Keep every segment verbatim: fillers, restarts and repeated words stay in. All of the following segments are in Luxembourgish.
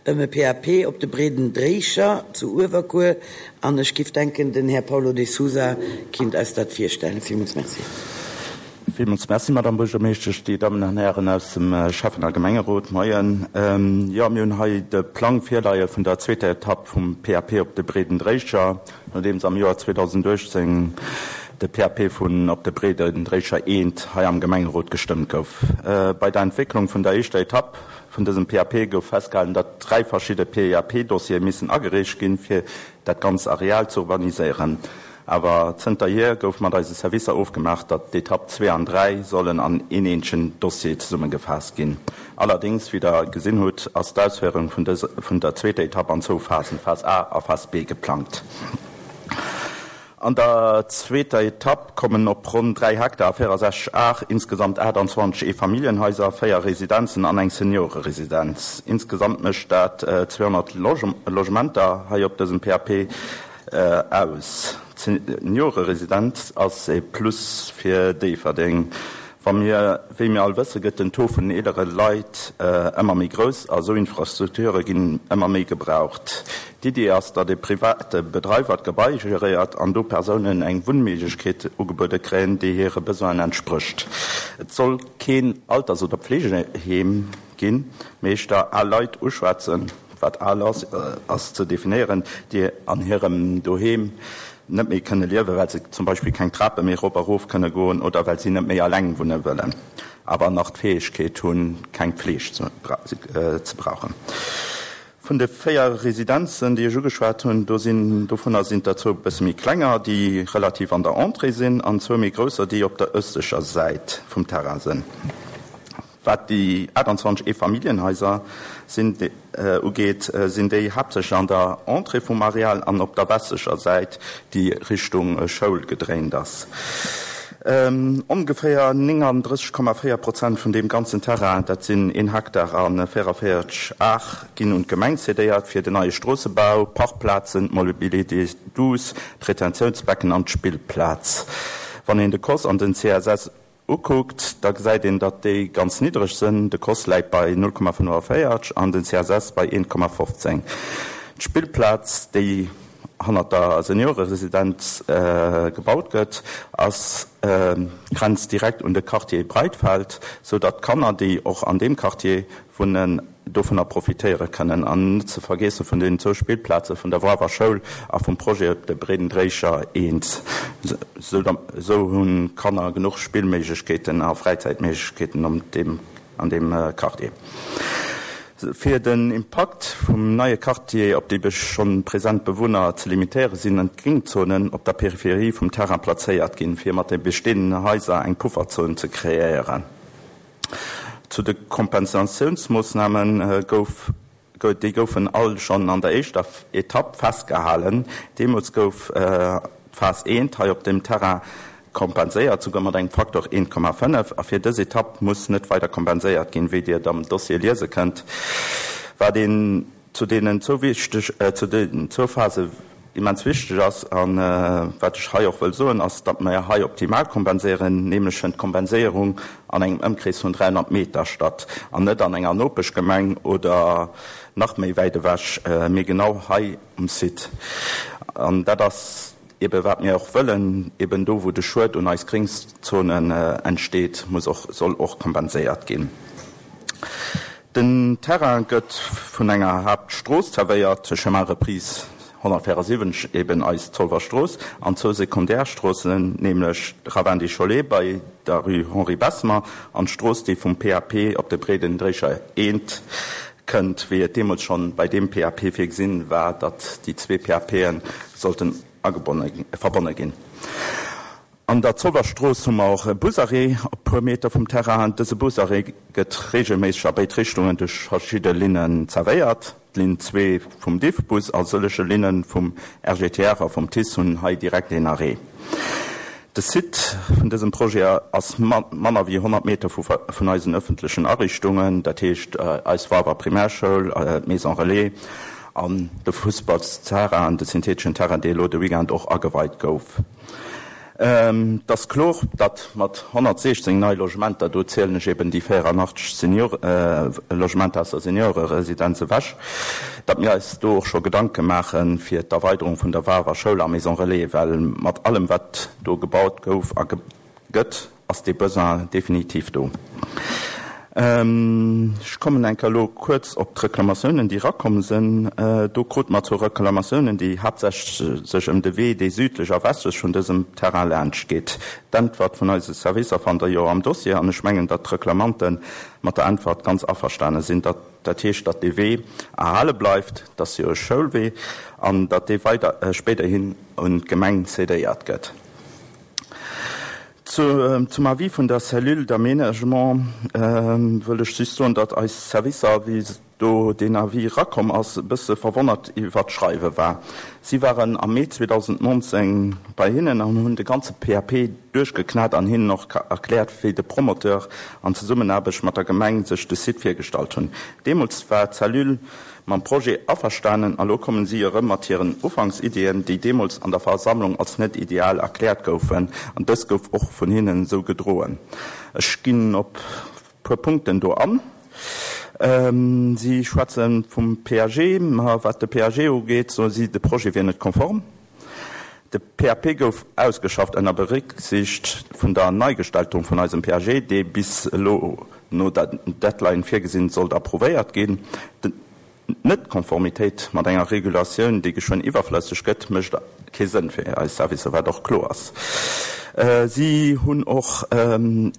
ëm e P A P op de Breeden Dréicher zu Uewerkuer an ech giff denken, den Här Paulo de Sousa kinnt eis dat virstellen. Villmools Merci. Villmools Merci, Madame Buergermeeschtesch, déi Dammen an Hären aus dem Schäffen a Gemengerot. Moien. Jo, mir hunn hei de Plang virleie vun der zweeter Etapp vum P A P op de Breeden Dréicher, nodeems am Joer zweedausendachtzéng de P A P vun op de Breeden Dréicher eent hei am Gemengerot gestëmmt gouf. Bei der Entwécklung vun der éischter Etapp vun dësem P A P gouf festgehalen, datt dräi verschidde P A P-Dossiere missen agereecht ginn, fir dat ganz Areal ze urbaniséieren. Awer zënterhier gouf mat eise Servicer ofgemaach, datt d'Etapp zwee an dräi sollen an een eenzegen Dossier zesummegefaasst ginn. Allerdéngs, wéi Der gesinn hutt, ass d'Ausféierung vun dës vun der zweeter Etapp an zwou Phasen, Phas A a Phas B, geplangt. An der zweeter Etapp kommen op ronn dräi Hektar a véierundsechzeg Ar insgesamt aachtanzwanzeg Eefamilljenhaiser, véier Residenzen an eng Senioreresidenz. Insgesamt mécht dat zweehonnert Logementer hei op dësem P A P aus. D'Senioreresidenz ass e Plus fir Déifferdeng. Wa mir, wéi mir all wëssen, gëtt den Taux vun eelere Leit ëmmer méi grouss a sou Infrastrukture ginn ëmmer méi gebraucht. D'Iddi ass, datt e private Bedreiwer d'Gebai geréiert an do Persounen eng Wunnméiglechkeet ugebuede kréien, déi hire Besoinen entsprécht. Et soll keen Alters oder Pflegeheem ginn, mee éischter al Leit uschwätzen, wat al ass, ass ze definéieren, déi an hirem Doheem net méi kënne liewen, well se zum Beispill keng Trape méi erop a erof kënne goen oder well si net méi eleng wunne wëllen, awer nach d'Fäegkeet hunn, keng Fleeg ze brauchen. Vun de véier Residenzen, déi ech ugeschwat hunn, do sinn, dovunner sinn der zwou e bësse méi klenger, déi relativ an der Entrée sinn, an zwou méi grousser, déi op der ëstlecher Säit vum Terrain sinn. Wat déi aachtanzwanzeg Eefamilljenhaiser sinn, ugeet, sinn déi haaptsächlech an der Entrée vum Areal an op der westlecher Säit, déi Richtung Schoul gedréint ass. Ongeféier nénganddrësseg Komma véier Prozent vun deem ganzen Terrain, dat sinn een Hektar a véierunvéierzeg Ar, ginn un d'Gemeng cedéiert fir den neie Stroossebau, Parkplazen, d'Mobilité douce, d'Retentiounsbecken an d'Spillplaz. Wann een de C O S an den C S S ukuckt, da gesäit een, datt déi ganz niddreg sinn, de C O S läit bei null Komma fënnefanvéierzeg an den C S S bei eent Komma fofzéng. D'Spillplaz, déi hannert der Senioreresidenz gebaut gëtt, ass grenzt direkt un de Quartier Breitfeld, sou datt d'Kanner, déi och an deem Quartier wunnen, dovunner profitéiere kënnen. An net ze vergiesse vun den zwou Spillplaze vun der Woarwer Schoul a vum Projet op de Breeden Dréicher eent. Esou hunn d'Kanner genuch Spillméiglechkeeten a Fräizäitméiglechkeeten an deem Quartier. Fir den Impakt vum neie Quartier op déi schonn present Bewunner ze limitéieren, sinn d'Gringzonen op der Peripherie vum Terrain plazéiert ginn, fir mat de bestehenden Haiser eng Pufferzon ze kreéieren. Zu de Kompensatiounsmoossname gouf déi goufen all schonn an der éischter Etapp festgehalen. Deemools gouf d'Phas eent hei op dem Terrain kompenséiert, souguer mat engem Faktor eent Komma fënnef, a fir dës Etapp muss net weider kompenséiert ginn, wéi Dir am Dossier liese kënnt. Wat een zu deenen zwou wichteg zu den zwou Phase immens wichteg ass an wat ech hei och wëll soen, ass, datt mer hei optimal kompenséieren, nämlech fënnt d'Kompenséierung an engem Ëmkrees vun dräihonnert Meter statt an net an enger Nopeschgemeng oder nach méi wäit ewech, mee genau hei um Site. An dat ass eben wat mir och wëllen, eben do wou de Schued un eis Gringzonen entsteet, muss och soll och kompenséiert ginn. Den Terrain gëtt vun enger Haaptstrooss zerwéiert, Chemin Reprise honnertvéierasiwwenzeg, eben eis Zolwer Strooss, an zwou Sekundärstroossen, nämlech Ravin des Cholets bei der Rue Henri Bessemer an d'Strooss, déi vum P A P op de Breeden Dréicher eent kënnt, wéi et deemools schonn bei deem P A P virgesinn war, datt déi zwee P A P'en sollten agebonne verbonne ginn. An der Zolwer Strooss hu mer och e Busarrêt op puer Meter vum Terrain. Dëse Busarrêt gëtt reegelméisseg a béid Richtungen duerch verschidde Linnen zerwéiert. D'Linn zwee vum Diffbus a sëllege Linne vum R G T R a vum TICE hunn hei direkt een Arrêt. De Site vun dësem Projet ass manner wéi honnert Meter vun eisen ëffentlechen Ariichtungen, dat heescht eis Woarwer Primärschoul, d'Maison Relais an de Fussballsterrain, de syntheteschen Terrain, dee elo de Weekend och ageweit gouf. Et ass kloer, datt mat honnertsiechzéng nei Logementer, do zielen ech eben déi véieranachteg Senior Logementer aus der Senioreresidenz ewech, datt mir eis do och scho Gedanke maache fir d'Erweiderung vun der Wawer Schoul a Maison Relais, well mat allem wat do gebaut gouf a gëtt, ass dee Besoin definitiv do. Ech kommen eng Kéier elo kuerz op d'Reklamatiounen, déi erakomm sinn. Do krute mer zwou Reklamatiounen, déi haaptsächlech sech ëm de Wee, dee südlech a westlech vun dësem Terrain laanscht geet. D'Äntwert vun eise Servicer fannt Der jo am Dossier an ech mengen, datt d'Reklamante mat der Äntwert ganz averstane sinn. Dat, dat heescht, datt dee Wee erhale bleift, dat ass jo e Schoulwee, an datt dee weider, spéiderhin un d'Gemeng cédéiert gëtt. Zum Avis vun der Cellule d'aménagement wëll ech just soen, datt eis Servicer, wéi do deen Avis erakomm ass, e bësse verwonnert iwwert d'Schreiwe war. Si waren am Mee zweedausendnonzéng bei hinnen an hunn de ganze P A P duerchgeknat an hinnen och erkläert, wéi de Promoteur an Zesummenaarbecht mat der Gemeng sech de Site virgestallt hunn. Deemools war d'Cellule mam Projet averstanen a lo kommen si erëm mat hiren Ufanksiddien, déi deemools an der Versammlung als net ideal erkläert goufen, an dës gouf och vun hinnen esou gedroen. Ech ginn op puer Punkten do an. Si schwätze vum P A G. Ma wat de P A G ugeet, soe si, de Projet wier net konform. De P A P gouf ausgeschafft ënner Berécksiicht vun der Neigestaltung vun eisem P A G, dee bis elo no der Deadline virgesinn sollt approuvéiert ginn. D'Net-Konformitéit mat enger Regulatioun, déi geschwënn iwwerflësseg gëtt, mécht kee Sënn fir eis Servicer, wat och kloer ass. Si hunn och en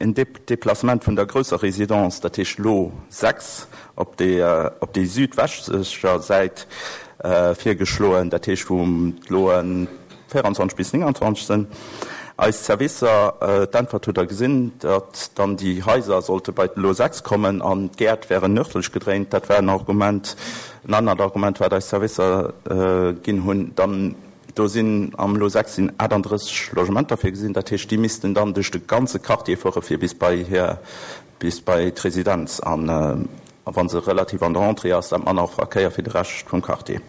Deplacement vun der grousser Residence, dat heescht Lot sechs, op déi op déi südwestlecher Säit virgeschloen, dat heescht wou d'Loen véierundzwanzeg bis nénganzwanzeg sinn. Eis Servicer, d'Äntwert hutt Der gesinn, datt dann déi Haiser sollte bei d'Lot sechs kommen an d'Gäert wären nërdlech gedréint. Dat war en Argument. En anert Argument, wat eis Servicer ginn hunn, dann do sinn am Lot sechs sinn achtandrësseg Logementer virgesinn, dat heescht, déi missten dann duerch de ganze Quartier fuere fir bis bei hir, bis bei d'Residenz. An wa se relativ an der Entrée ass, dat manner Verkéier fir de Rescht vum Quartier.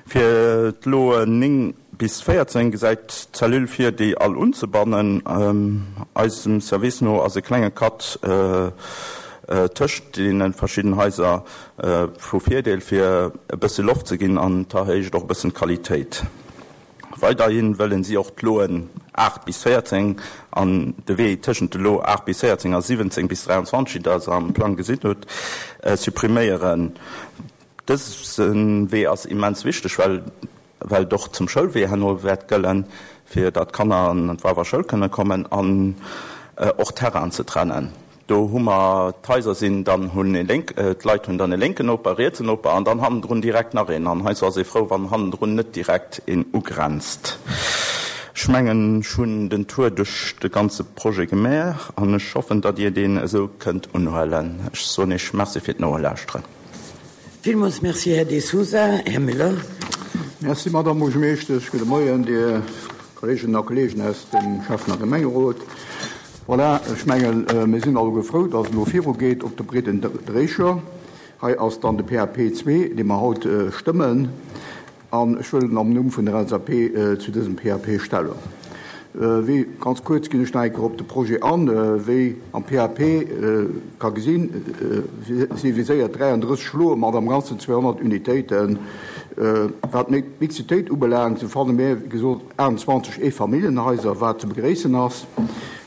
Fir d'Loen néng bis véierzéng gesäit d'Cellule vir, déi all unzebannen. Eisem Service no ass e klenge Cut tëscht deene verschidden Haiser vu Virdeel, fir e bësse Loft ze ginn an d'erhéicht och e bëssen d'Qualitéit. Weiderhi wëllen si och d'Loen aacht bis véierzéng an de Wee tëschent de Lot aacht bis véierzéng a siwwenzéng bis dräianzwanzeg, déi Der am Plang gesinn hutt, suppriméieren. Dëse Wee ass immens wichteg, well well et och zum Schoulwee herno wäert gëllen, fir datt d'Kanner an d'Walfer Schoul kënne kommen an och Terrainen ze trennen. Do hu mer d'Haiser sinn dann hunn e lénk, d'Leit hunn dann e lénken Noper, e rietsen Noper an dann hannendrun direkt nach een. An heiansdo ass ee frou, wann hannendrun net direkt een ugrenzt. Ech mengen, ech hunn den Tour duerch de ganze Projet gemaach an ech hoffen, datt Dir deen esou kënnt unhuelen. Ech soen Iech Merci fir d'Nolauschteren. Villmools Merci, Här De Sousa. Här Müller. Merci, Madame Buergermeeschtesch. Gudde Moien, Dir Kolleeginnen a Kolleegen aus dem Schäffen a Gemengerot. Voilà, ech mengen, mir sinn alleguer frou, dass et elo virugeet op de Breeden Dréicher. Hei ass dann de P A P zwee, dee mer haut stëmmen. An ech wëll am Numm vun der L S A P zu dësem P A P Stellung. Wéi, ganz kuerz ginn ech nach eng Kéier op de Projet an. Wéi am P A P ka gesinn, si viséiert dräiandrësseg Loe mat am Ganzen zweehonnert Unitéiten. Wat d'Mixitéit ubelaangt, sou fanne mir, wéi gesot, aachtundzwanzeg Eefamilljenhaiser, wat ze begréissen ass.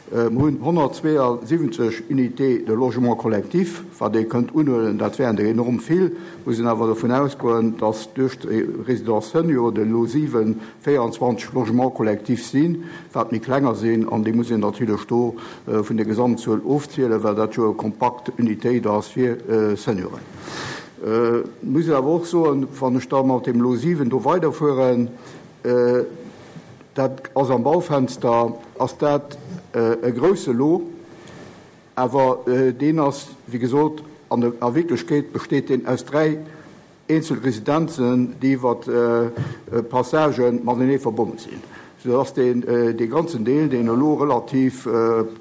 Mir hunn honnertzweeasiwwenzeg Unités de logement collectif, wat ee kënnt unhuelen, dat wären der enorm vill, muss een awer dovun ausgoen, datt duerch d'Résidence senior de Lot siwen véierundzwanzeg Logements collectifs sinn, wat méi klenger sinn, an déi muss een natierlech do vun der Gesamtzuel ofzielen, well dat jo e kompakt Unitéit ass fir Senioren. Muss een awer och soen, wann ech da mat deem Lot siwen do weiderfueren, dat ass am Baufenster, ass dat e grousse Lot, awer deen ass, wéi gesot, an der a Wierklechkeet besteet deen aus dräi eenzel Residenzen, déi iwwer Passagen matenee verbonne sinn. Soudass deen, dee ganzen Deel, deen elo relativ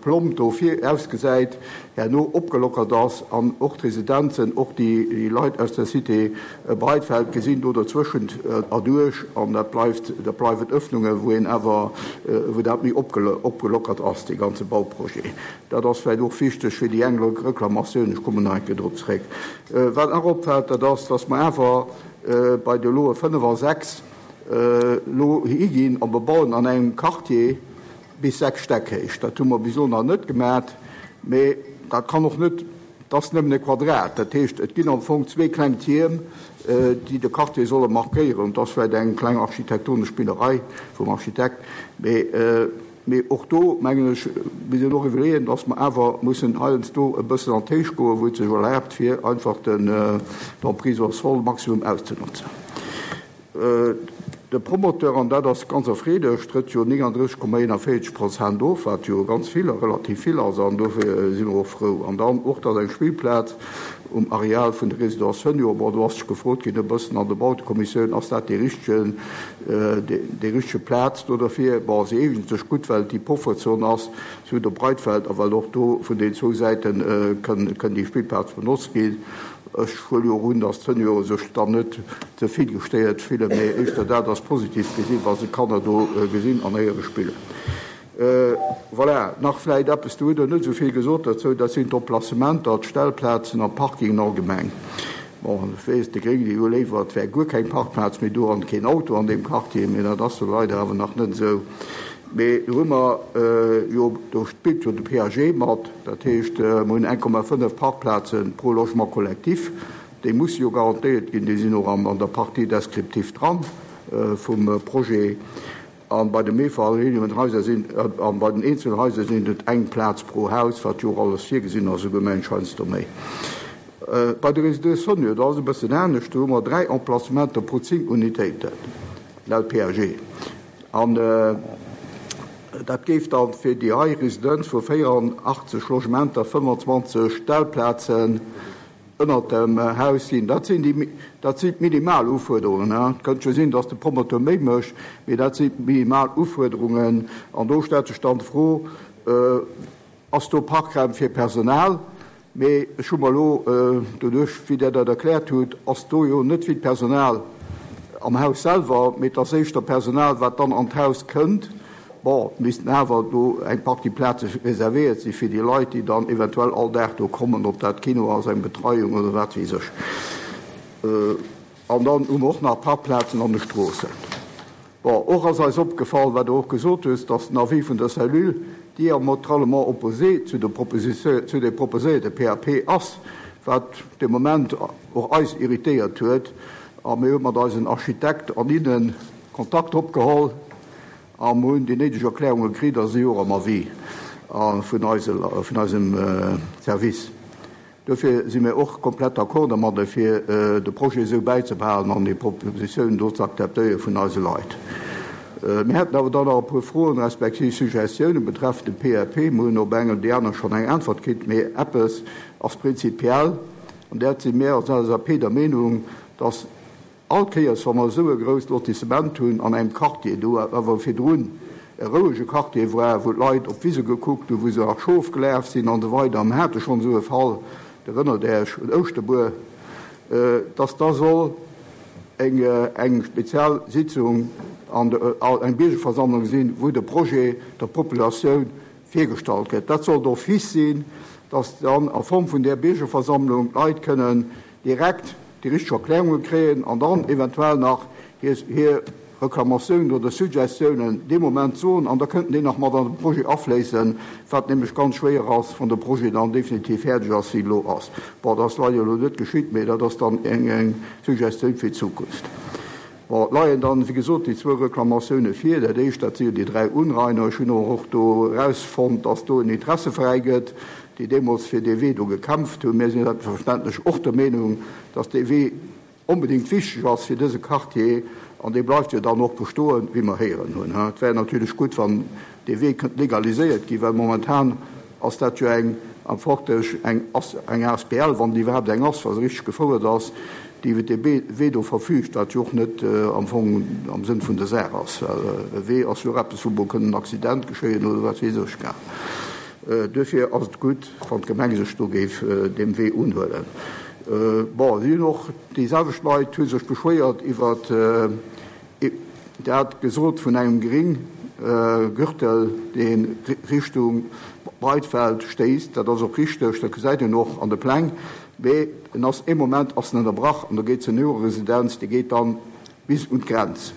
plomb do vir ausgesäit, herno opgelockert ass an och d'Residenzen, och déi Leit aus der Cité Breitfeld gesinn do dozwëschent erduerch an dat bleift, dat bleiwen Öffnungen, wou een awer, wou dat méi opgelockert ass, dee ganze Bauprojet. Dat ass vläicht och wichteg fir déi eng Reklamatioun, ech kommen nach eng Kéier drop zréck. Wat nach opfält, dat ass, dass mer awer bei de Loe fënnef a sechs elo higinn a bebauen an engem Quartier bis sechs Stäck héich. Dat hu mer bis elo nach net gemat, mee dat kann och net, dat ass nëmmen e Quadrat. Dat heescht, et ginn am Fong zwee kleng Tierm, déi de Quartier solle markéieren. Dat ass vläicht eng kleng architektonesch Spillerei vum Architekt, mee mee och do, mengen ech, muss een och iwwerleeën, dass mer awer mussen heiansdo e bëssen an d'Héicht goen, wou et sech erlaabt, fir einfach den d'Emprise au sol maximum auszenotzen. De Promoteur, an dat ass ganz erfreelech, trëtt jo néngandrësseg Komma eenanvéierzeg Prozent of, wat jo ganz vill a relativ vill ass, an dofir si mer och frou. An dann och, dass eng Spillplaz um Areal vun der Résidence Senior, bon, do ass sech gefrot ginn e bëssen an der Bautekommissioun, ass dat déi richtege, déi richtege Plaz do derfir? Bon, se eegent sech gutt, well et déi Pufferzon ass zu der Breitfeld a well och do vun den zwou Säite kënn, kënn déi Spillplaz benotzt ginn. Ech huele jo och un, dass d'Seniore sech dann net ze vill gestéiert fillen, mee éischter dat ass positiv gesinn, wa se d'Kanner do gesinn an héiere spillen. Voilà, nach vläicht eppes, do hutt Der net esou vill gesot dozou, dat sinn d'Emplacementer, d'Stellplazen an d'Parkingen allgemeng. Bon, ech weess, déi Gréng, déi hu léiwer, et wär guer keng Parkplaz méi do an keen Auto an deem Quartier, mee dat ass jo leider awer nach net esou. Mee do hu mer jo, do spillt jo de P A G mat, dat heescht, mer hunn eng Komma fënnef Parkplaze pro Logement collectif, déi musse jo garantéiert ginn, déi sinn och an der Partie descriptive dran vum Projet. A bei de Mehrfamilienhaiser sinn, a bei den Eenzelhaiser sinn et eng Plaz pro Haus, wat jo och alles virgesinn ass, esouguer mensch heiansdo méi. Bei de Résidents seniors, do ass et e bëssen anescht, do hu mer dräi Emplacementer pro zéng Unitéiten, laut P A G. An dat géif dann fir déi hei Residenz vu véieranaachtzeg Logementer fënnefanzwanzeg Stellplazen ënnert dem Haus sinn. Dat sinn déi, dat sinn d'minimal Ufuerderungen. Et kënnt jo sinn, datt de Promoteur méi mécht, mee dat sinn d'minimal Ufuerderungen. An do stellt sech dann d'Fro, Ass do Parkraum fir Personal? Mee ech hu mer elo, doduerch wéi Der dat erkläert hutt, ass do jo net vill Personal am Haus selwer, mee et ass éischter Personal, wat dann an d'Haus kënnt. Bon, et missten awer do eng Partie Plaze reservéiert si fir déi Leit, déi dann eventuell all Dag do kommen, ob dat Kino ass, eng Betreiung oder wat weess ech. An dann hu mer och nach Parkplazen an de Stroossen. Bon, och ass eis opgefall, wat Der och gesot hutt, dass den Avis vun der Cellule diamétralement opposé zu de zu de proposéierte P A P ass, wat de Moment och eis irritéiert huet. A mir hu mat eisen Architekt an innen Kontakt opgeholl a mir hunn déi néideg Erklärunge kritt a si och am Avis vun eise vun eisem Service. Dofir si mir och komplett d'accord domadder, fir de Projet esou bäizebehalen an déi Propositioun do ze akzeptéiere vun eise Leit. Mir hätten awer dann nach e puer Froen respektiv Suggestiounen betreffend de P A P. Mir hunn op eng oder déi aner schonn eng Äntwert kritt, mee eppes ass prinzipiell, an dat si mir als L S A P der Meenung, dass all Kéiers, wa mer esou e grousst Lotissement hunn an engem Quartier, do awer virdrun e rouege Quartier war, wou d'Leit op d'Wise gekuckt hunn, wou se nach Schof gelaf sinn an esou weider, mir hate schonn esou e Fall, Der erënnert Iech un Ouschterbuer, dass da soll eng eng spezial Sitzung an eng Biergerversammlung sinn, wou de Projet der Populatioun virgestallt gëtt. Dat soll d'office sinn, dass dann a Form vun där Biergerversammlung d'Leit kënnen direkt déi richteg Erklärunge kréien an dann eventuell nach hir hir Reklamatiounen oder Suggestiounen dee Moment soen an da kënnten déi nach mat an de Projet afléissen, wat nämlech ganz schwéier ass, wann de Projet dann definitiv fäerdeg ass, wéi elo ass. Bon, dat ass leider elo net geschitt, mee dat ass dann eng eng Suggestioun fir d'Zukunft. Bon, et leien dann, wéi gesot, déi zwou Reklamatioune vir. Dat éischt, dat si jo déi dräi Unrainer. Ech hunn och do erausfonnt, dass do en Interesseveräi gëtt, déi deemools fir dee Wee do gekämpft hunn. Mir sinn selbstverständlech och der Meenung, dass dee Wee onbedéngt wichteg ass fir dëse Quartier, an dee bleift jo dann och bestoen, wéi mer héieren hunn. Et wär natierlech gutt, wann dee Wee kënnt legaliséiert ginn, well momentan ass dat jo eng am Forteg eng eng A S B L, wann déi iwwerhaapt eng ass, wa se richteg gefouert ass, déi iwwer dee Wee do verfüügt, wat jo och net am Fong am Sënn vun der Saach ass, well e Wee ass jo och eppes, wou mol kënn en Accident geschéien oder wat weess ech. Duerfir ass et gutt, wann d'Gemeng sech do géif deem Wee unhuelen. Bon, si hunn och, déi selwecht Leit hu sech beschwéiert iwwer dat gesot vun engem Grénggürtel, dee Richtung Breitfeld stéisst. Dat ass och richteg, dat gesäit een och an de Pläng. Mee en ass, ee Moment ass en ënnerbrach an do geet d'Senioreresidenz, déi geet dann bis un d'Grenz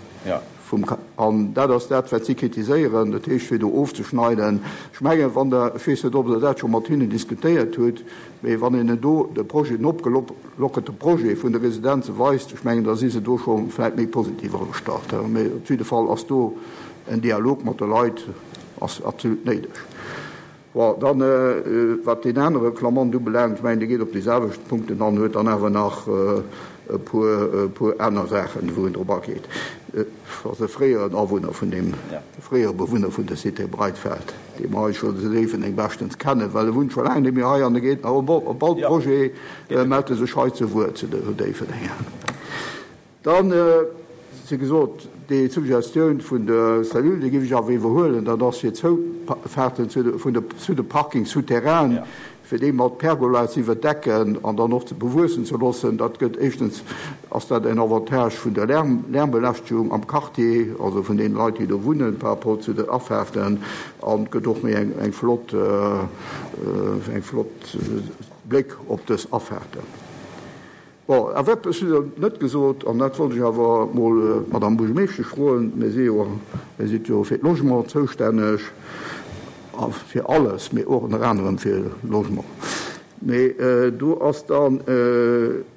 vum, an dat ass dat, wat si kritiséieren, dat heescht fir do ofzeschneiden. Ech mengen, wann Der, ech weess net, ob Der dat scho mat hinnen diskutéiert hutt, mee wann een do de Projet, den opgelockerte Projet vun de Residenze weist, ech mengen, da si se do scho vläicht méi positiv agestallt. Mee op jidde Fall ass do en Dialog mat de Leit ass absolut néideg. Bon, dann, wat deen anere Clamant ubelaangt, ech mengen, dee geet op déi selwecht Punkten an, huet dann awer nach e puer, e puer aner Saachen, wou en drop ageet. Ass e fréieren Awunner vun deem, fréiere Bewunner vun der Cité Breitfeld, dee mer hei scho zu Déifferdeng beschtens kennen, well e wunnt scho laang net méi hei an e geet nach op all Projet, mellt e sech hei zu Wuert zu Déifferdeng. Dann, wéi gesot, déi Suggestioun vun der Cellule, déi géif ech awer iwwerhuelen, dat ass fir d'Zoufahrten zu de Parkings souterrainen, fir déi mat Pergola ze iwwerdecken an dann och ze bewuessen ze loossen. Dat gëtt, éischtens ass dat en Avantage vun der Lärmbelästegung am Quartier, also vun deene Leit, déi do wunnen, par rapport zu den Afahrten, an gëtt och méi eng flott, eng flott Bléck op dës Afahrten. Bon, awer eppes hutt Der net gesot, an dat wollt ech awer emol d'Madame Buergermeeschtesch froen, Mir si jo, Dir sidd jo fir d'Logement zoustänneg, a fir alles, mee och ënner anerem fir Logement. Mee do ass dann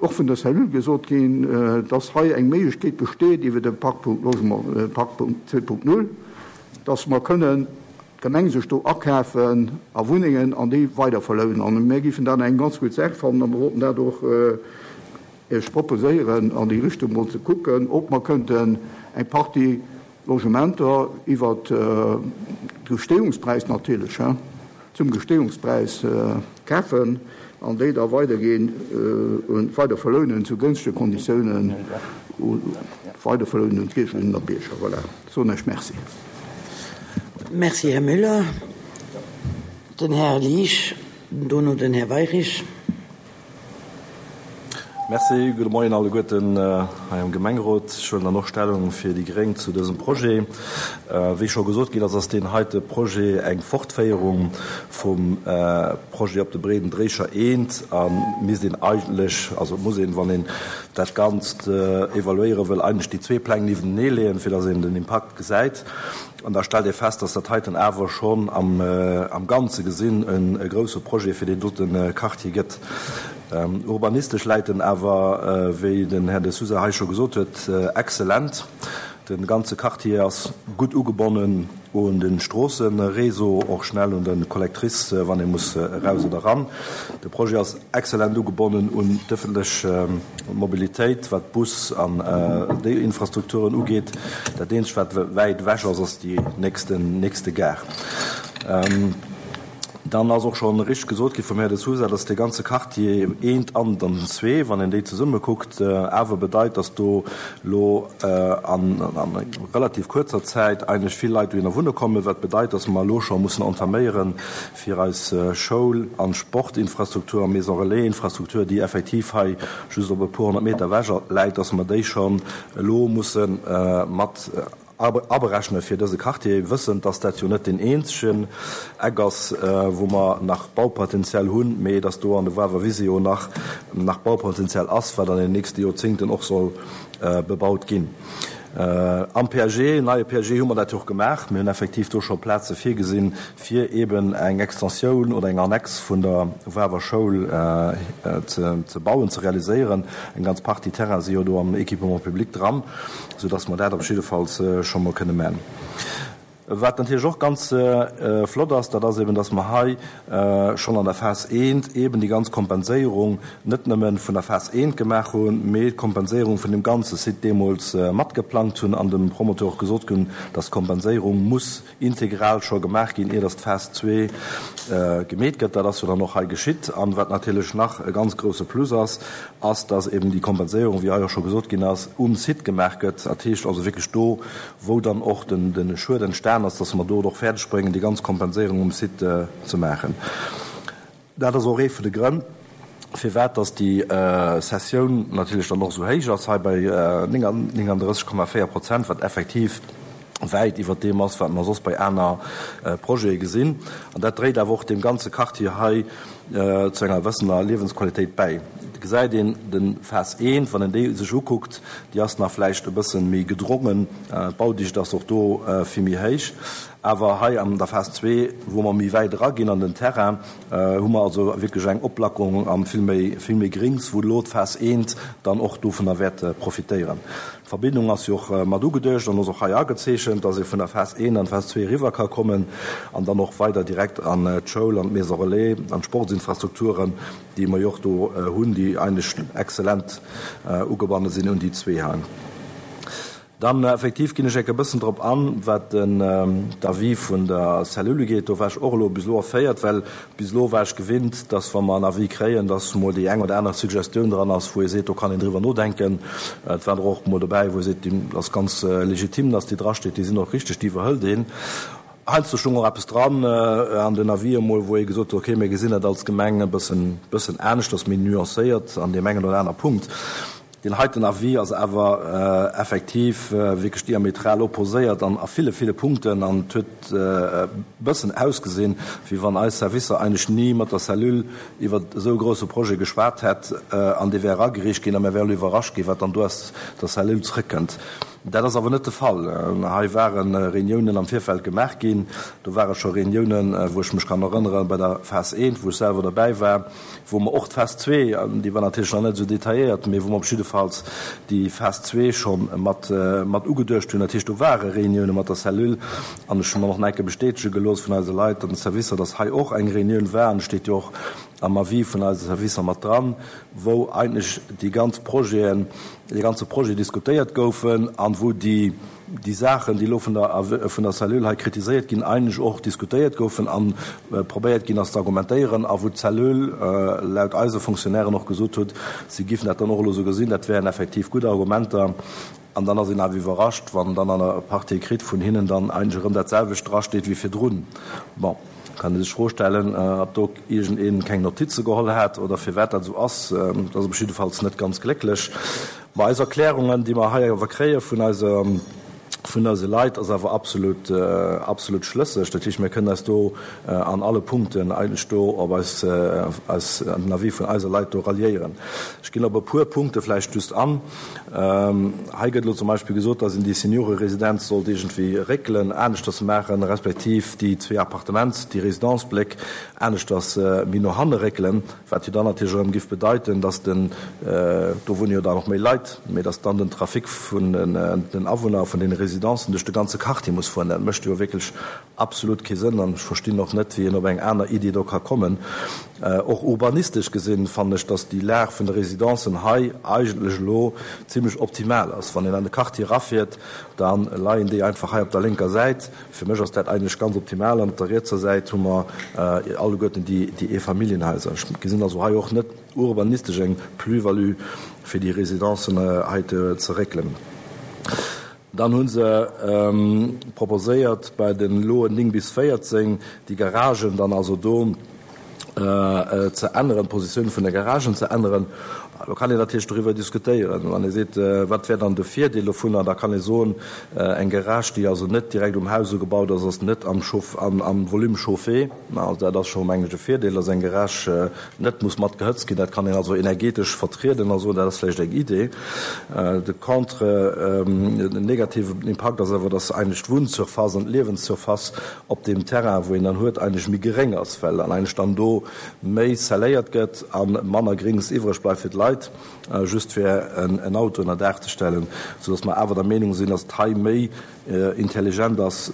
och vun der Cellule gesot ginn, dass hei eng Méiglechkeet besteet iwwer de Parkpunkt Logement, Parkpunkt zwee Punkt null, dass mer kënnen d'Gemeng sech do akafen a Wunnengen an déi weiderverlounen. An mir géifen dat eng ganz gutt Saach fannen a mir wollten dat och Iech proposéieren, an déi Richtung mol ze kucken, ob mer kënnten eng Partie Logementer iwwer de Gestehungspräis natierlech, zum Gestehungspräis kafen an déi da weiderginn, weiderverlounen zu gënschtege Konditiounen, weiderverlounen un d'Biergerinnen a Bierger. Voilà, soen ech Merci. Merci, Här Müller. Den Här Liesch, dono den Här Weyrich. Merci, gudde Moien alleguerten hei am Gemengerot. Ech huelen dann och Stellung fir déi Gréng zu dësem Projet. Wéi scho gesot ginn ass, ass deen heite Projet eng Fortféierung vum Projet op de Breeden Dréicher eent a misst een eigentlech, also muss een, wann een dat Ganzt evaluéiere wëll, eigentlech déi zwee Pläng niewentenee leeën, fir datt een den Impakt gesäit. An da stellt ee fest, datt dat heiten awer schonn am Ganze gesinn e grousse Projet fir deen dote Quartier gëtt. Urbanistesch läit en awer, wéi den Här De Sousa hei scho gesot huet, exzellent. De ganze Quartier ass gutt ugebonnen un de Stroosseréseau, och schnell un de Collectrice, wann ee muss eraus oder eran. De Projet ass exzellent ugebonnen un d'ëffentlech Mobilitéit, wat Bus an déi Infrastrukturen ugeet. Dat eenzegt, wat wäit ewech ass, ass déi nächste Gare. Dann ass och scho richteg gesot gi vum Här De Sousa, dass dee ganze Quartier eent an dann den zwee, wann een déi zesumme kuckt, awer bedeit, dass do elo a relativ kuerzer Zäit eigentlech vill Leit dohinner wunne kommen, wat bedeit, dass mer elo scho mussen entaméieren, fir eis Schoul an Sportinfrastruktur a Maison relais-Infrastruktur, déi effektiv hei just op e puer honnert Meter ewech läit, dass mer déi schonn elo musse mat aberechne fir dëse Quartier, wëssend, dass dat jo net deen eenzegen Eck ass, wou mer nach Baupotenzial hunn, mee dass do an de Wawer Wise jo nach nach Baupotenzial ass, wat an den nächste Joerzéngten och soll bebaut ginn. Am P A G, neie P A G, hu mer dat jo och gemaach. Mir hunn effektiv do scho Plaze virgesinn, fir eeben eng Extensioun oder eng Annex vun der Wawer Schoul ze bauen, ze realiséieren. Eng ganz Partie Terraine si jo do am Équipement public dran, soudass mer dat op jiddefalls scho mol kënne man. Wat natierlech och ganz flott ass, dat ass eben, dass mer hei schonn an der Phas eent eben déi ganz Kompenséierung net nëmme vun der Phas eent gemaach hunn, mee d'Kompenséierung vun dem ganze Site deemools matgeplangt hunn an dem Promoteur och gesot hunn, dass d'Kompenséierung muss integral scho gemaach ginn, ier dass d'Phas zwee gemeet gëtt. Dat ass jo dann och hei geschitt. An wat natierlech nach e ganz grouse Plus ass, ass, dass eben déi Kompenséierung, wéi hei och scho gesot ginn ass, um Site gemaach gëtt. Dat heescht also wierklech do, wou dann och de Schued entstan ass, dass mer do et och fäerdeg bréngen, déi ganz Kompenséierung um Site ze maachen. Dat ass och ee vun de Grënn, firwat dass déi Cessioun natierlech dann och esou héich ass, hei bei nénganddrësseg Komma véier Prozent, wat effektiv wäit iwwert deem ass, wat mer soss bei aner Projete gesinn. An dat dréit awer och deem ganze Quartier hei zu enger gewëssener Liewensqualitéit bäi. Et gesäit een, de Phas eent, wann een déi sech ukuckt, déi ass nach vläicht e bësse méi gedrongen, d'Baudicht ass och do vill méi héich. Awer hei an der Phas zwee, wou mer méi wäit eraginn an den Terrain, hu mer also wierklech eng Oplackerung a vill méi, vill méi Grings, wou elo d'Phas eent dann och dovunner wäert profitéieren. D'Verbindung ass jo och mat ugeduecht an ass och hei agezeechent, dass ee vun der Phas eent an d'Phas zwee eriwwer ka kommen an dann och weider direkt an d'Schoul, an d'Maison relais, an d'Sportsinfrastrukturen, déi mer jo och do hunn, déi eigentlech exzellent ugebanne sinn un déi zwee hei. Dann effektiv ginn ech enk e bëssen drop an, wat den d'Avis vun der Cellule ugeet. Do war ech och elo bis elo erféiert, well bis elo war ech gewinnt, dass wa mer en Avis kréien, dass mol déi eng oder aner Suggestioun dran ass, wou ee seet, do kann een driwwer nodenken. Et war der och mol dobäi, wou ee seet, déi ass ganz legitim, dass déi drasteet, déi sinn och richteg, déi iwwerhëlt een. Heiansdo stoung och eppes dran an den Avis emol, wou ee gesot huet, okay, mir gesinn dat als Gemeng e bëssen, bëssen aneschters, méi nuancéiert an deem engen oder aner Punkt. Deen heiten Avis ass awer effektiv wierklech diametral opposéiert an a ville, ville Punkten an et huet e bëssen ausgesinn, wéi wann eis Servicer eigentlech ni mat der Cellule iwwer esou e grouse Projet geschwat hätt an dee wär eragereecht ginn a mir wäre elo iwwerrascht ginn, wat dann do aus der Cellule zrëckkënnt. Dat ass awer net de Fall. Hei ware Reuniounen am Virfeld gemaach ginn. Do ware scho Reuniounen, wou ech mech kann erënneren, bei der Phas eent, wou ech selwer derbäi war, wou mer och d'Phas zwee, déi war natierlech nach net esou detailléiert, mee wou mer op jiddefalls déi Phas zwee scho mat, mat ugeduecht hunn. Dat heescht, do ware Reunioune mat der Cellule an ech hu mer och nach eng Kéier bestätege gelooss vun eise Leit an de Servicer, dass hei och eng Reunioun war an et steet jo och am Avis vun eise Servicer mat dran, wou eigentlech déi ganz Projeten, dee ganze Projet diskutéiert goufen an wou déi, déi Saachen, déi elo vun der, vun der Cellule hei kritiséiert ginn, eigentlech och diskutéiert goufen a probéiert ginn ass ze argumentéieren a wou d'Cellule laut eise Fonctionnairen och gesot huet, si giffen dat dann och elo esou gesinn, dat wären effektiv gutt Argumenter. An dann ass een awer iwwerrascht, wann dann an der Partie écrite vun hinnen dann eigentlech erëm dat selwecht drasteet wéi virdrun. Bon, kann ee sech d'Fro stellen, ob do iergendee keng Notize geholl hat oder firwat dat esou ass. Dat ass op jiddefalls net ganz glécklech. Mä eis Erklärungen, déi mer hei awer kréie vun eise, vun eise Leit, ass awer absolut, absolut schlësseg. Dat heescht, mir kënnen eis do an alle Punkten eigentlech do op eis, eis, den Avis vun eise Leit do ralliéieren. Ech ginn op e puer Punkte vläicht just an. Hei gëtt elo zum Beispill gesot, dass een déi Senioreresidenz sollt iergendwéi réckelen, aneschters maachen, respektiv déi zwee Appartements, déi Résidence-Bléck aneschters méi no hanne réckelen, wat jo dann natierlech erëm giff bedeiten, dass den, do wunne jo dann och méi Leit, mee dass dann den Trafic vun den Awunner vun deene Residencen duerch de ganze Quartier muss fueren. Dat mécht jo wierklech absolut kee Sënn an ech verstinn och net, wéi een op eng aner Iddi do ka kommen. Och urbanistesch gesinn fannen ech, dass déi Lag vun de Residencen hei eigentlech elo zimlech optimal ass. Wann een an de Quartier erafiert, da leien déi einfach hei op der lénker Säit. Fir mech ass dat eigentlech ganz optimal. An op der rietser Säit hu mer alleguerten déi Eefamilljenhaiser. Ech gesinn also hei och net urbanistesch eng Plus-value, fir déi Residencen hei ze réckelen. Dann hu se proposéiert, bei de Loen néng bis véierzéng déi Garagen dann also do ze änneren, d'Positioun vun de Garagen ze änneren. Do kann een natierlech doriwwer diskutéieren. Wann ee seet, wat wär dann de Virdeel dovunner, da kann ee soen, eng Garage, déi also net direkt um Haus ugebaut ass, ass net am am Volume chauffé. Also dat ass scho, mengen ech, e Virdeel, dass eng Garage net muss mat gehëtzt ginn. Dat kann een also energetesch vertrieden a soen, dat ass vläicht eng Idee. De Contre, den negativen Impakt ass awer, dass eigentlech d'Wunnsurface an d'Liewenssurface op deem Terrain, wou een dann huet, eigentlech méi geréng ass, well dann eigentlech dann do méi scelléiert gëtt a manner Grings iwwreg bleift fir d'Leit, just fir en Auto ënner Daach ze stellen, soudass mer awer der Meenung sinn, dass et hei méi intelligent ass,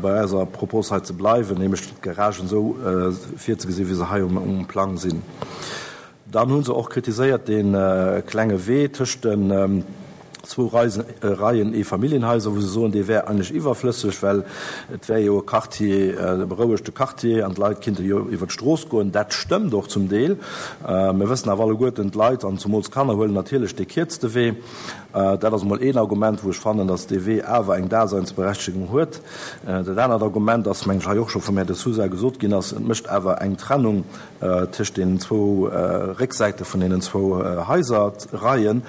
bei eiser Propos hei ze bleiwen, nämlech d'Garagen esou virzegesinn, wéi se hei um Plang sinn. Dann hu se och kritiséiert dee klenge Wee tëscht den zwou Reien Eefamilljenhaiser, wou se soen, dee wär eigentlech iwwerflësseg, well et wär jo e Quartier, e berouegte Quartier an d'Leit kinnte jo iwwer d'Strooss goen. Dat stëmmt och zum Deel. Mir wëssen awer alleguerten, d'Leit an zumools d'Kanner huelen natierlech dee kierzte Wee. Dat ass emol een Argument, wou ech fannen, datt dee Wee awer eng Daseinsberechtegung huet. Dat anert Argument ass, mengen ech, hei och scho vum Här De Sousa gesot ginn ass, et mécht awer eng Trennung tëscht deenen zwou Récksäite vun deenen zwou Haiserreien.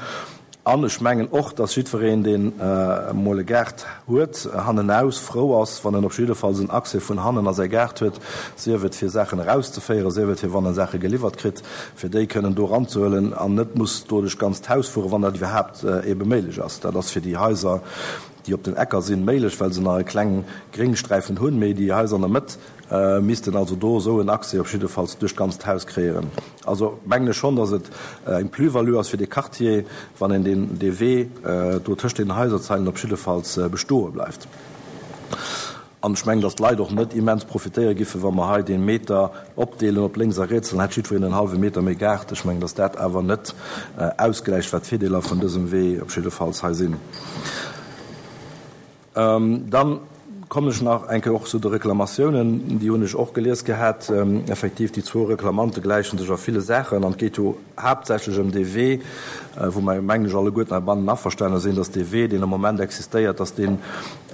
An ech mengen och, dass jiddwereen, deen emol e Gaart huet, hannenaus frou ass, wann en op jiddefalls en Accès vun hannen a säi Gaart huet, sief et fir Saachen erauszeféieren, sief et fir wann e Saache geliwwert kritt, fir déi kënnen do eranzehuelen an net muss do duerch d'ganzt Haus fueren, wann dat iwwerhaapt ebe méiglech ass. Dat ass fir déi Haiser, déi op den Ecker sinn, méiglech, well se nach e kleng Gréngsträifen hunn, mee déi Haiser an der Mëtt missten also do esou en Accès op jiddefalls duerch d'ganzt Haus kréieren. Also mengen ech schonn, datt et eng Plus-value ass fir dee Quartier, wann een deen, dee Wee do tëscht deenen Haiserzeilen op jiddefalls bestoe bleift. An ech mengen, datt d'Leit och net immens profitéiere giffen, wa mer hei dee Meter opdeelen op lénks a riets, dann hätt jiddwereen en hallwe Meter méi Gaart. Ech mengen, datt dat awer net ausgläicht, wat d'Virdeeler vun dësem Wee op jiddefalls hei sinn. Dann kommen ech nach eng Kéier och zu de Reklamatiounen. Déi hunn ech och gelies gehat. Effektiv, déi zwou Reklamante gläiche sech a ville Saachen. An et geet jo haaptsächlech ëm dee Wee, wou mer, mengen ech, alleguerten heibannen averstane sinn, dass dee Wee, deen am Moment existéiert, dass deen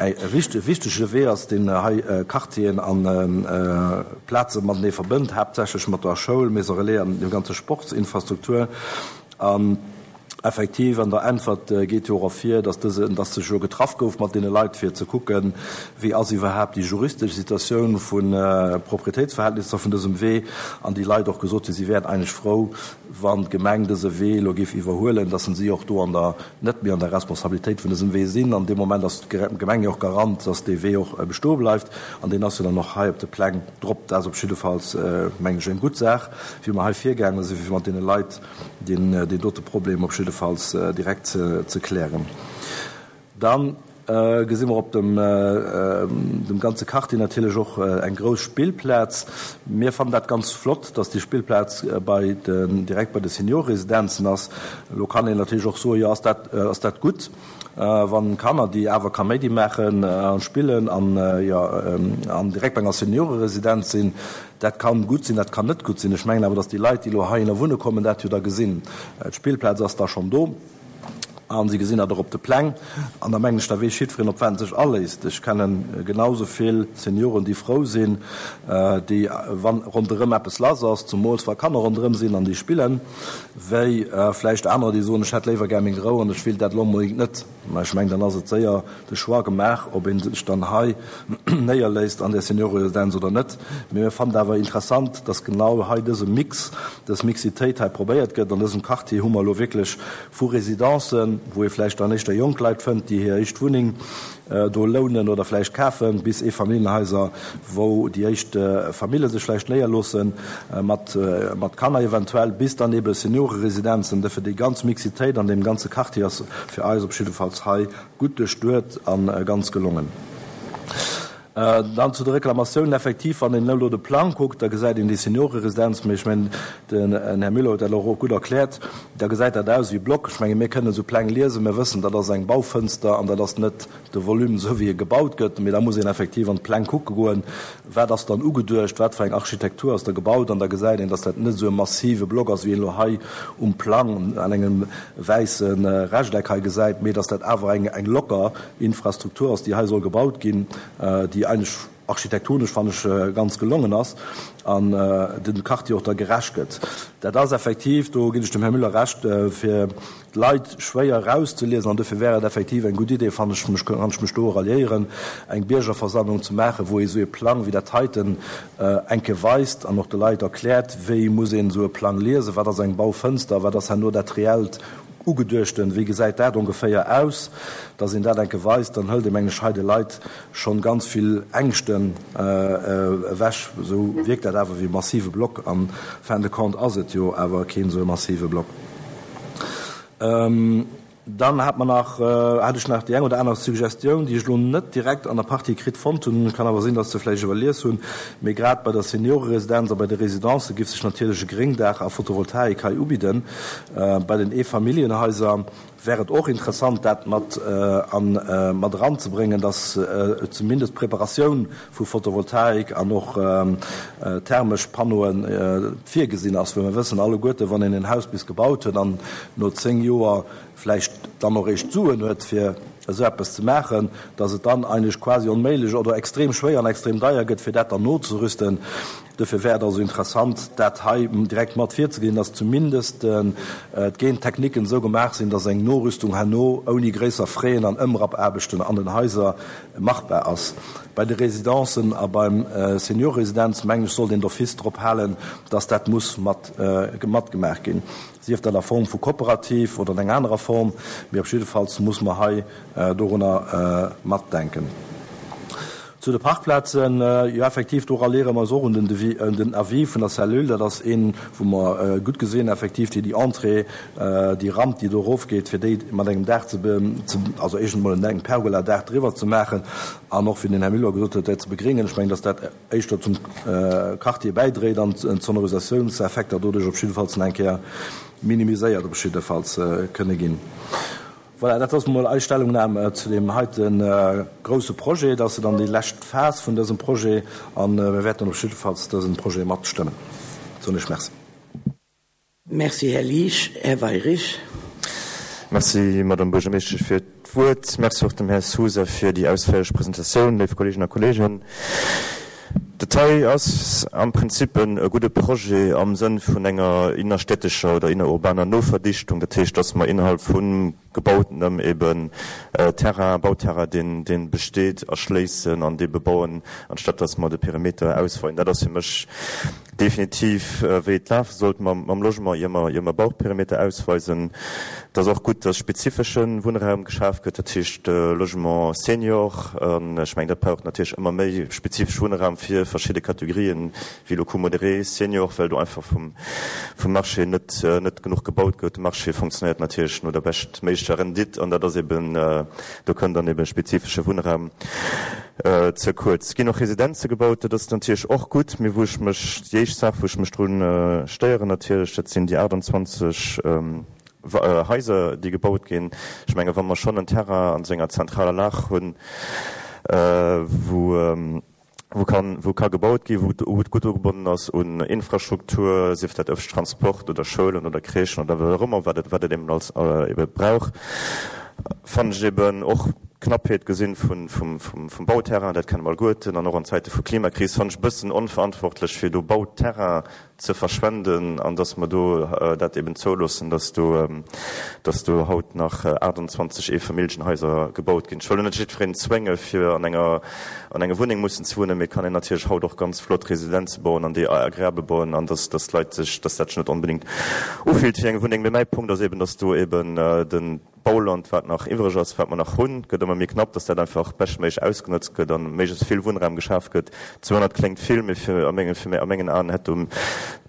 e wichtege Wee ass, deen hei Quartieren a Plaze matenee verbënnt, haaptsächlech mat der Schoul, Maison relais an dem ganze Sportsinfrastruktur. An Effektiv, an der Äntwert geet jo och ervir, dass dëse, dass sech jo getraff gouf mat deene Leit, fir ze kucken, wéi ass iwwerhaapt déi juristesch Situatioun vu Proprietéitsverhältnisser vun dësem Wee, an déi Leit och gesot hunn, si wären eigentlech frou, wann d'Gemeng dëse Wee elo géif iwwerhuelen, dass si och do an der, net méi an der Responsabilitéit vun dësem Wee sinn. An deem Moment ass d'Gemeng jo och Garant, dass dee Wee och bestoe bleift, an deen ass jo dann och hei op de Pläng drop. Dat ass op jiddefalls, mengen ech, eng gutt Saach, wéi mer hei virgaange sinn, fir mat deene Leit deen dote Problem op jiddefalls direkt ze klären. Da gesi mer op dem ganze Quartier natierlech och eng grouss Spillplaz. Mir fannen dat ganz flott, dass déi Spillplaz bei den, direkt bei de Seniorresidenzen ass. Elo kann een natierlech och soen, jo, ass dat, ass dat gutt, wann Kanner, déi awer Kaméidi maachen a spillen an, jo, an direkt bei enger Senioreresidenz sinn. Dat kann gutt sinn, dat kann net gutt sinn. Ech mengen awer, dass déi Leit, déi elo heihinner wunne kommen, dat jo da gesinn. D'Spillplaz ass da schonn do a si gesinn dat och op de Pläng. An da mengen ech, da weess jiddwereen, op wat en sech aléisst. Ech kenne genau esou vill Senioren, déi frou sinn, déi, wa ronderëm eppes lass ass, zumools wa Kanner ronderëm sinn an déi spillen, wéi vläicht anerer, déi soen, ech hätt léiwer gär meng Rou an ech wéilt dat elo onbedéngt net. Mä ech mengen, dann ass et séier de Choix gemaach, ob ee sech dann hei néierléisst an där Senioreresidenz oder net. Mee mir fannen et awer interessant, dass genau hei dëse Mix, dës Mixitéit hei probéiert gëtt. An dësem Quartier hu mer elo wierklech vu Residencen, wou ee vläicht dann éischter jonk Leit fënnt, déi hir éischt Wunneng do lounen oder vläicht kafen, bis Eefamilljenhaiser, wou déi éischt Famille sech vläicht néierloossen, mat mat Kanner eventuell, bis dann ebe Senioreresidenzen. Dofir déi ganz Mixitéit an deem ganze Quartier ass fir eis op jiddefalls hei gutt duerchduet a ganz gelongen. Dann zu de Reklamatiounen. Effektiv, wann een elo de Plang kuckt, da gesäit een déi Senioreresidenz, mee ech mengen, den Här Müller huet dat elo och gutt erkläert, da gesäit dat aus wéi e Block. Ech menge mir kënnen esou Pläng liesen, mir wëssen, dat ass eng Baufënster an dat ass net de Volume esou wéi e gebaut gëtt, mee da muss een effektiv an d'Pläng kucke goen, wat ass dann ugeduecht, wat fir eng Architektur ass da gebaut, an da gesäit een, datt dat net esou e massive Block ass, wéi een elo hei um Plang an engem wäisse Rechteck hei gesäit, mee datt dat awer eng eng locker Infrastruktur ass, déi hei soll gebaut ginn, déi eigentlech architektonesch, fannen ech, ganz gelongen ass an dem Quartier och da gerecht gëtt. Dat ass effektiv, do ginn ech dem Här Müller Recht, fir d'Leit schwéier erauszeliesen an dofir wär et effektiv eng gutt Idee, fannen ech, kann ech mech do ralliéieren, eng Biergerversammlung ze maachen, wou ee esou ee Plang wéi dat heiten eng Kéier weist an och de Leit erkläert, wéi muss een esou e Plang liesen, wat ass eng Baufënster, wat ass herno dat reellt Ugeduechten, wéi gesäit dat ongeféier aus, dass een dat enke weist, dann hëlt ee mengen ech hei de Leit schonn ganz vill Ängschten ewech. Esou wierkt dat awer wéi e massive Block, an fin de compte ass et jo awer keen esou e massive Block. Dann hat mer nach, hat ech nach déi eng oder aner Suggestioun, déi ech elo net direkt an der Partie kritt fonnt hunn, kann awer sinn, dass se vläicht iwwerlies hunn, mee grad bei der Senioreresidenz a bei de Residencë giff sech natierlech e Gréngdaach a Photovoltaik hei ubidden. Bei den Eefamilljenhaiser wär et och interessant, dat mat an mat eranzebréngen, dass zumindest d'Preparatioun vu Photovoltaik an och thermesch Panneaue virgesinn ass, well mir wëssen alleguerte, wann een en Haus bis gebaut huet an no zéng Joer vläicht dann och eréischt d'Suen huet, fir esou eppes ze maachen, dass et dann eigentlech quasi onméiglech oder extrem schwéier an extrem deier gëtt, fir dat dann nozerüsten. Dofir wär et also interessant, dat hei direkt mat virzeginn, dass zumindest d'Gentechniken esou gemaach sinn, dass eng Norüstung herno ouni gréisser Fräen an Ëmrappaarbechten an den Haiser machbar ass. Bei de Residencen a beim Seniorresidenz, mengen ech, sollt een d'office drop halen, dass dat muss mat matgemaach ginn, sief dat a Form vu Kooperativ oder an enger anerer Form, mee op jiddefalls muss mer hei dorunner matdenken. Zu de Parkplazen, jo effektiv, do ralliere mer eis och un den Devis, un den Avis vun der Cellule. Dat ass een, wou mer gutt gesinn effektiv, déi déi Entrée, déi Ramp, déi do erofgeet, fir déi mat engem Daach ze, also éischtens emol en Pergola-Daach driwwer ze maachen an och, wéi den Här Müller gesot huet, dat ze begréngen. Ech mengen, dass dat éischter zum Quartier bäidréit an d'Sonorisatiounseffekter doduerch op jiddefalls nach eng Kéier minimiséiert op jiddefalls kënne ginn. Voilà, dat ass emol eis Stellungnam zu deem heite grouse Projet. Dat ass dann déi lescht Phas vun dësem Projet a mir wäerten op jiddefalls dëse Projet matstëmmen. Soen ech Merci. Merci, Här Liesch. Här Weyrich. Merci, Madame Buergermeeschtesch, fir d'Wuert. Merci och dem Här Sousa fir déi ausféierlech Presentatioun. Léif Kolleeginnen a Kolleegen, dat hei ass am Prinzip e gudde Projet am Sënn vun enger innerstädtescher oder innerurbaner Noverdichtung. Dat heescht, dass mer innerhalb vu gebautenem eben Terrain, Bauterrain, deen, deen besteet, erschléissen an dee bebauen, anstatt dass mer de Perimeter ausweien. Dat ass fir mech definitiv, wéi et lafe sollt mam, mam Logement, ier mer, ier mer Bauperimeter ausweisen. Et ass och gutt, dass spezifesche Wunnraum geschaf gëtt, dat heescht Logement senior. An ech mengen, dat brauch natierlech ëmmer méi spezifesch Wunnraum fir verschidde Kategorien, wéi elo Coût modéré, Senior, well do einfach vum, vum Marché net, net genuch gebaut gëtt. De Marché fonctionnéiert natierlech no der beschtméiglecher Rendite an dat ass eben, do kënnt dann eben spezifesche Wunnraum ze kuerz. Et ginn och Residenze gebaut, dat ass natierlech och gutt, mee wou ech mech, déi éischt Saach, wou ech mech drun stéieren natierlech, dat sinn déi achtundzwanzeg Haiser, déi gebaut ginn. Ech menge wa mer schonn en Terrain an esou enger zentraler Lag hunn, wou wou kann, wou ka gebaut ginn, wou et gutt ugebonnen ass un Infrastruktur, sief dat ëffentlechen Transport oder Schoulen oder Crèchen oder wat och ëmmer, wat et, wat et eben als ebe brauch, fannen ech eben och d'Knappheet gesinn vun, vum, vum, vum Bauterrain, dat kenne mer alleguerten, an och an Zäite vu Klimakris fannen ech e bëssen onverantwortlech, fir do Bauterrain ze verschwenden an dass mer do dat eben zouloossen, dass do, dass do haut nach achtundzwanzeg Eefamilljenhaiser gebaut ginn. Ech wëll lo net jiddwereen zwénge fir an enger, an enger Wunneng mussen ze wunnen, mee et kann een natierlech haut och ganz flott Residenze bauen an déi agreabel bauen an dass, dass d'Leit sech, dass dat sech net onbedéngt ufillt wéi eng Wunneng. Mee mäi Punkt ass eben, dass do eben den Bauland, wat nach iwwreg ass, wat mer nach hunn, gëtt ëmmer méi knapp, dass dat einfach beschtméiglech ausgenotzt gëtt an méiglechst vill Wunnraum geschaf gëtt. zweehonnert kléngt vill, mee fir a mengen, fir a mengen Aen hätt do,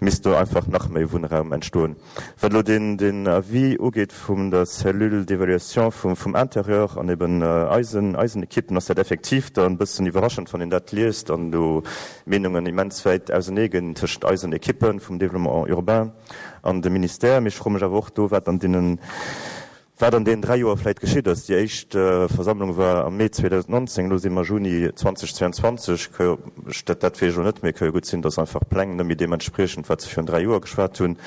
misst do einfach nach méi Wunnraum entstoen. Wat elo den, den Avis ugeet vum der Cellule d'évaluation vum, vum Intérieur an eben eisen, eisen Ekippen, ass dat effektiv dann e bëssen iwwerraschend, wann een dat liest an do Meenungen immens wäit ausenee ginn tëschent eisen Ekippen vum Développement urbain an dem Ministère. Mee ech froe mech awer och do, wat an deenen, wat an deenen dräi Joer vläicht geschitt ass. Déi éischt Versammlung war am Mee zweedausendnonzéng, elo si mer Juni zweedausendzweiundzwanzeg. Dat, dat weess ech elo net, mee et ka jo gutt sinn, datt einfach d'Pläng net méi deem entspriechen, wat se virun dräi Joer geschwat hunn.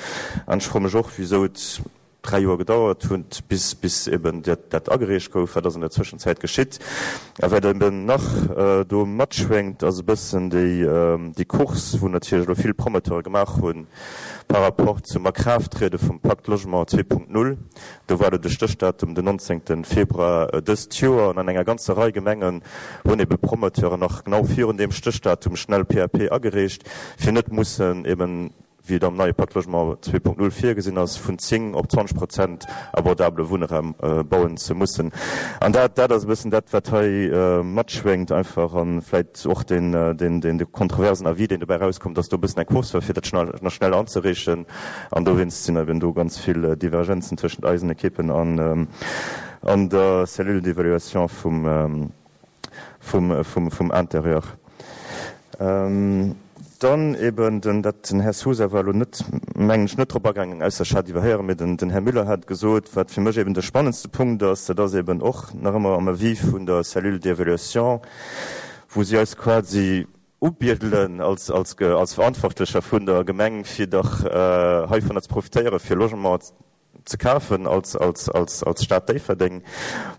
An ech froe mech och, wisou et dräi Joer gedauert huet, bis, bis eben dat, dat agereecht gouf. Wat ass an der Zwëschenzäit geschitt? A wat eben nach do matschwéngt, ass e bëssen déi, déi Course, wou natierlech elo vill Promoteure gemaach hunn, par rapport zum Akraafttriede vum Pacte Logement zwee Punkt null. Do war elo de Stéchdatum den nonzéngte Februar dëst Joer an an enger ganzer Rei Gemengen hunn ebe Promoteuren nach genau virun deem Stéchdatum schnell P A P agereecht, fir net mussen eben wéi et am neie Pacte Logement zwee Punkt null virgesinn ass, vun zéng op zwanzeg Prozent abordabele Wunnraum bauen ze mussen. An dat, dat ass e bëssen dat, wat hei matschwéngt einfach, a vläicht och deen, deen, deen kontroversen Avis, deen dobäi erauskomm, dass do e bëssen eng Course war, fir dat schnell, nach schnell anzereechen. An dowéinst sinn eben do ganz vill Divergenzen tëschent eisen Ekippen an, an der Cellule d'évaluation vum, vum, vum, vum Intérieur. Dann eben den, dat, den Här Sousa war elo net, mengen ech, net drop agaangen, ausser ech hat iwwerhéieren, mee den, den Här Müller hat gesot, wat fir mech eben de spannendste Punkt ass, dat ass eben och nach ëmmer am Avis vun der Cellule d'évaluation, wou si eis quasi ubiedelen als, als, als Verantwortlecher vun der Gemeng, fir dach heivunner ze profitéieren, fir Logement ze kafen als, als, als, als Stad Déifferdeng,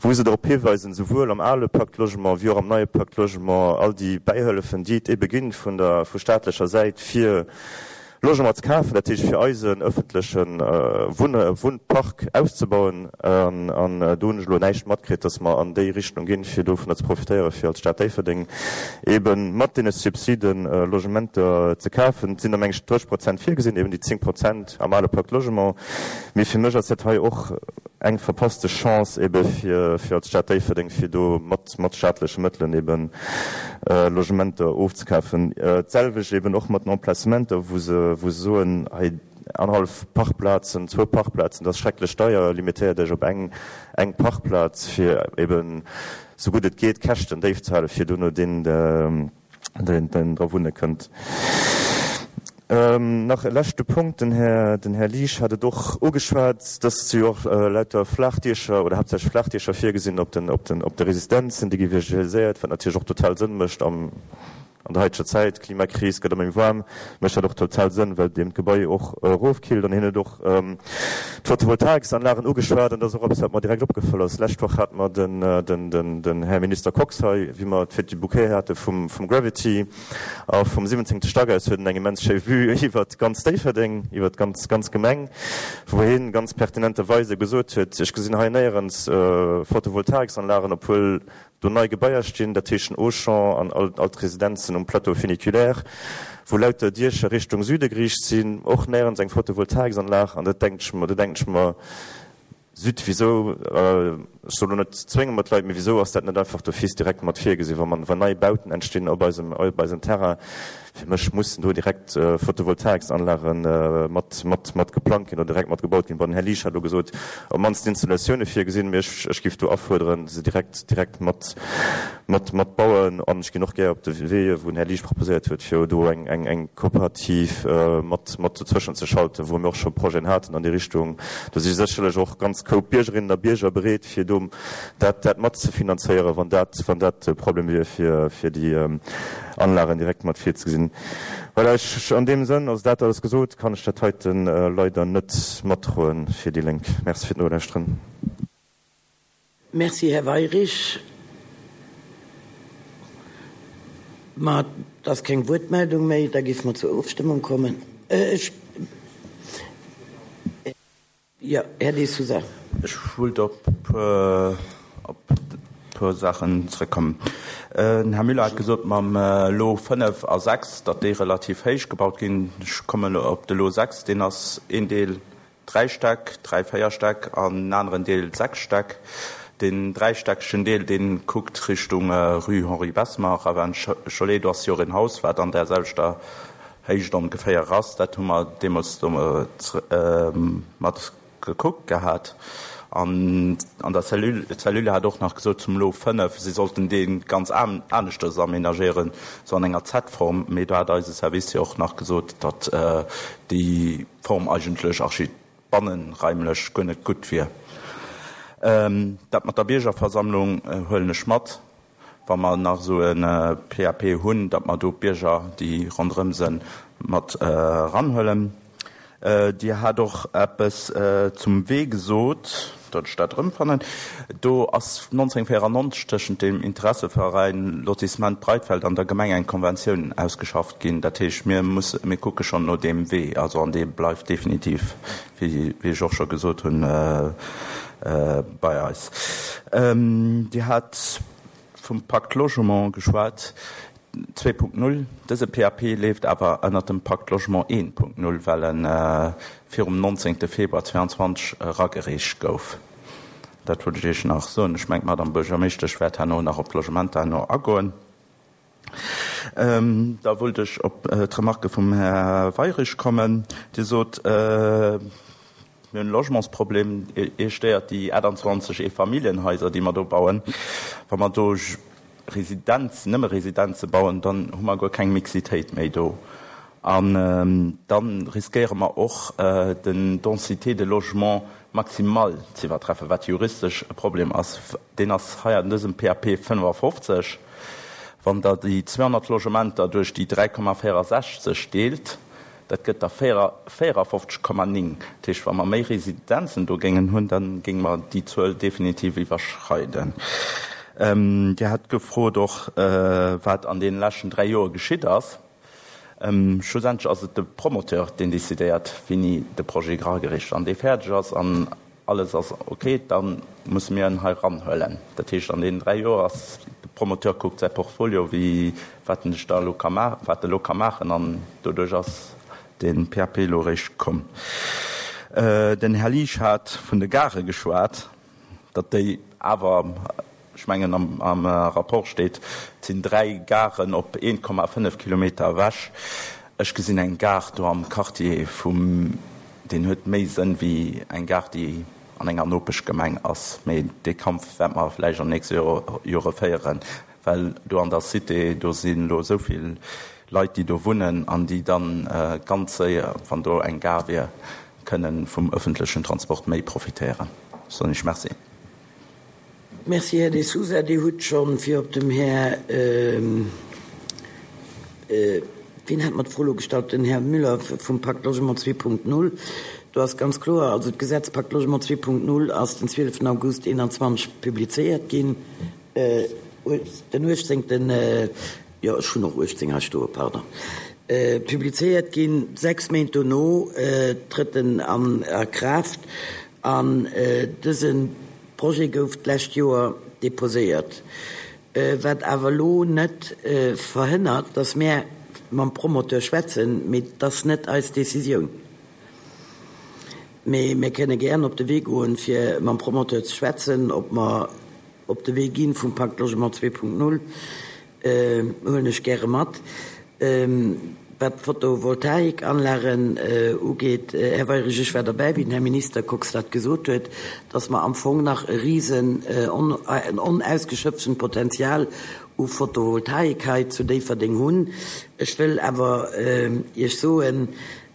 wou se drop hiweisen, souwuel am ale Pacte Logement wéi och am neie Pacte Logement, all déi Bäihëllefen, déi et ebe ginn vun der, vu staatlecher Säit, fir Logement ze kafen, dat heescht fir eisen öffentleche Wunn, Wunnpark auszebauen. An, an do hunn ech elo näischt matkritt, dass mer an déi Richtung ginn, fir dovunner ze profitéieren, fir als Stad Déifferdeng ebe mat deene Subsiden Logementer ze kafen. Et sinn der, meng ech, drësseg Prozent virgesinn, eben déi zéng Prozent am ale Pacte Logement. Mee fir mech ass dat hei och eng verpasste Chance ebe fir, fir als Stad Déifferdeng, fir do mat, mat staatleche Mëttelen eben Logementer ofzekafen. D'selwecht eben och mat den Emplacementer, wou se, wou se soen, hei annerhallef Parkplazen, zwou Parkplazen, dat ass schrecklech deier, limitéiert Iech op eng, eng Parkplaz, fir eben esou gutt et geet d'Käschten déif ze halen, fir dono deen, deen, deen dra wunne kënnt. Nach e leschte Punkt, den Här, den Här Liesch hat et och ugeschwat, dass si jo och lauter Flaachdiecher oder haaptsächlech Flaachdiecher virgesinn op den, op den, op de Resistenzen, déi gi visualiséiert, wat natierlech och total Sënn mécht am, an der haiteger Zäit, Klimakris, gëtt ëmmer méi waarm, mécht dat och total Sënn, well deem d'Gebai och erofkillt. An hien huet och d'Photovoltaiksanlagen ugeschwat an dat ass och eppes, wat mer direkt opgefall ass. D'lescht Woch hate mer den, den, den, den Här Minister Kox hei, wéi mer d'Fête du Bouquet hate vum, vum Gravity. A vum siwwenzéngte Stack aus huet en eng immens schéi Vue iwwert ganz Déifferdeng, iwwert d'ganz ganz Gemeng, wou hien ganz pertinenterweise gesot huet, Ech gesinn hei néierens Photovoltaiksanlagen, obwuel do nei Gebaier stinn, dat heescht den Auchan an all all d'Residenzen um Plateau funiculaire, wou lauter Diecher Richtung Süde geriicht sinn, och néierens eng Photovoltaiksanlag. An dat denkt ech mer, do denken ech mer, Zut, wisou, ech soll elo net zwénge mer d'Leit, mee wisou ass dat net einfach d'office direkt mat virgesinn, wa man, wann nei Bauten entstinn op eisem, op eisem Terrain, fir mech mussen do direkt Photovoltaiksanlage mat, mat, mat geplangt ginn oder direkt mat gebaut ginn. Bon, den Här Liesch hat elo gesot, op d'mannst Installatioune virgesinn, mee ech, ech géif do afuerderen, se direkt, direkt mat, mat, mat bauen. An ech ginn och gär op de Wee, wou den Här Liesch proposéiert huet, fir do eng, eng, eng Kooperativ mat, mat dozwëschen ze schalten, wou mir och scho Projeten haten an déi Richtung. Do si sécherlech och ganz Koup Biergerinnen a Bierger bereet, fir do dat, dat mat ze finanzéieren, wann dat, wann dat de Problem wier, fir, fir déi Anlagen direkt mat virzegesinn. Voilà, ech, an deem Sënn, also dat alles gesot, kann ech dat heiten leider net matdroen fir déi Lénk. Merci fir d'Nolauschteren. Merci, Här Weyrich. Ma et ass keng Wuertmeldung méi, da géife mer zur Ofstëmmung kommen. Ech. Jo, Här De Sousa. Ech wullt op e puer Saachen zrëckkommen. Den Här Müller hat gesot, mam Lot fënnef a sechs, datt déi relativ héich gebaut ginn. Ech kommen elo op de Lot sechs, deen ass een Deel dräi Stäck, dräi, véier Stäck an en aneren Deel sechs Stäck. Deen dräistäckegen Deel, dee kuckt Richtung Rue Henri Bessemer, Ravin Cholet. Do ass jo och en Haus, wat an där selwechter Héicht ongeféier ass. Dat hu mer deemools do mat gekuckt gehat. An an der Cellule, d'Cellule hat och nach gesot zum Lot fënnef, si sollten dee ganz aneschters aménagéieren, sou an enger Z-Form. Mee do hat eise Service jo och nach gesot, datt déi Form eigentlech archi bannenraimlech guer net gutt wier. Dat mat der Biergerversammlung huelen ech mat. Wa mer nach esou e P A P hunn, datt mer do d'Bierger, déi ronderëm sinn, mat eranhuelen. Dir hat och eppes zum Wee gesot, datt ech dat erëmfannen. Do ass nonzénhunnertvéierannonzeg tëschent dem Interesseveräin Lotissement Breitfeld an der Gemeng eng Konventioun ausgeschafft ginn. Dat heescht, mir musse, mir kucke schonn no deem Wee, also an dee bleift definitiv, wéi ech och scho gesot hunn, bei eis. Dir hat vum Pacte Logement geschwat. zwee Punkt null. Dëse P A P leeft awer ënner dem Pacte Logement een Punkt null, well en virum neunzehnten Februar zweiundzwanzeg eragereecht gouf. Dat wollt ech Iech nach soen. Ech mengen, d'Madame Buergermeeschtesch wäert herno nach op d'Logementer herno agoen. Ähm, da wollt ech op, äh, d'Remarke vum Här Weyrich kommen. Dir sot, äh, mir hunn e Logementsproblem. Ihr stéiert déi achtundzwanzeg Eefamilienhaiser, déi mer do bauen. Wa mer do Residenz, nëmme Residenze bauen, dann hu mer guer keng Mixitéit méi do. An, ähm, dann riskéiere mer och, äh, den Densité de Logement maximal ze iwwertreffen, wat juristesch e Problem ass. Deen ass hei an dësem P A P fënnefafofzeg. Wann der déi zweihundert Logementer duerch déi dräi Komma vierundsechzeg deelt, dat gëtt der vierundfünfzig Komma neun. Das heißt, wenn wir méi Residenzen do géingen hunn, dann géinge mer déi Zuel definitiv iwwerschreiden. Ähm, Dir hat gefrot och, äh, wat an den letzten drei Joer geschitt ass. Ähm, schlussendlich ass et de Promoteur, deen decidéiert, wéini de Projet eragereecht. Wann dee fäerdeg ass an alles ass okay, dann müssen wir ihn hei ranhuelen. Das heißt, an den drei Jahren ass de Promoteur guckt sein Portfolio, wie, wat en sech da lo ka ma-, wat e lo ka maachen, an doduerch ass den P A P lo réischt komm. Äh, den Herr Liesch hat vun de Gare geschwat, datt déi awer, ech mengen, am, am Rapport steet, et sinn drei Garen op een Komma fënnef Kilometer ewech. Ech gesinn eng Gare do am Quartier vum, den huet méi Sënn wéi eng Gare, déi an enger Nopeschgemeng ass. Mee dee Kampf wäert mer vläicht am nächste Joer, Jore féieren, well do an der Cité, do sinn lo so vill Leit, déi do wunnen an déi dann, äh, ganz séier, wann do eng Gare wier, kënnen vum öffentlichen Transport méi profitéieren. Soll ich merci. Merci, Herr de Sousa. Dir hutt schon fir op dem Herr, ähm, äh, wen hat mat Froh gestallt? Den Herr Müller vum Pakt Logement zwei Punkt null. Du hast ganz klar, also das Gesetz Pakt Logement zwei Punkt null ass den zwölften August einundzwanzig publiziert ginn. Äh, den achtzehnten, äh, ja, schon noch achtzehn hast du, pardon. Äh, publiziert ginn, sechs Monate no, äh, tritt en an a Kraft an, äh, diesen Projet gouf d'lescht Joer deposéiert. Äh, wat awer lo net, äh, verhënnert, dass mir mam Promoteur schwätzen, mee das net als Decisioun. Mee mir kënne gern op de Wee goen, fir mam Promoteur ze schwätzen, ob mer op de Wee ginn vum Pakt Logement zwei Punkt null, äh, huelen ech gäre mat. Ähm, wat Photovoltaikanlagen, äh, ugeht, äh, Herr Weyrich, ich war dabei, wie den Herr Minister Kox dat gesot huet, dass man am Fong nach e riesen, äh, on-, äh, ein unausgeschöpften Potenzial u Photovoltaik hei zu Déifferdeng hunn. Ech will awer, äh, iech soen,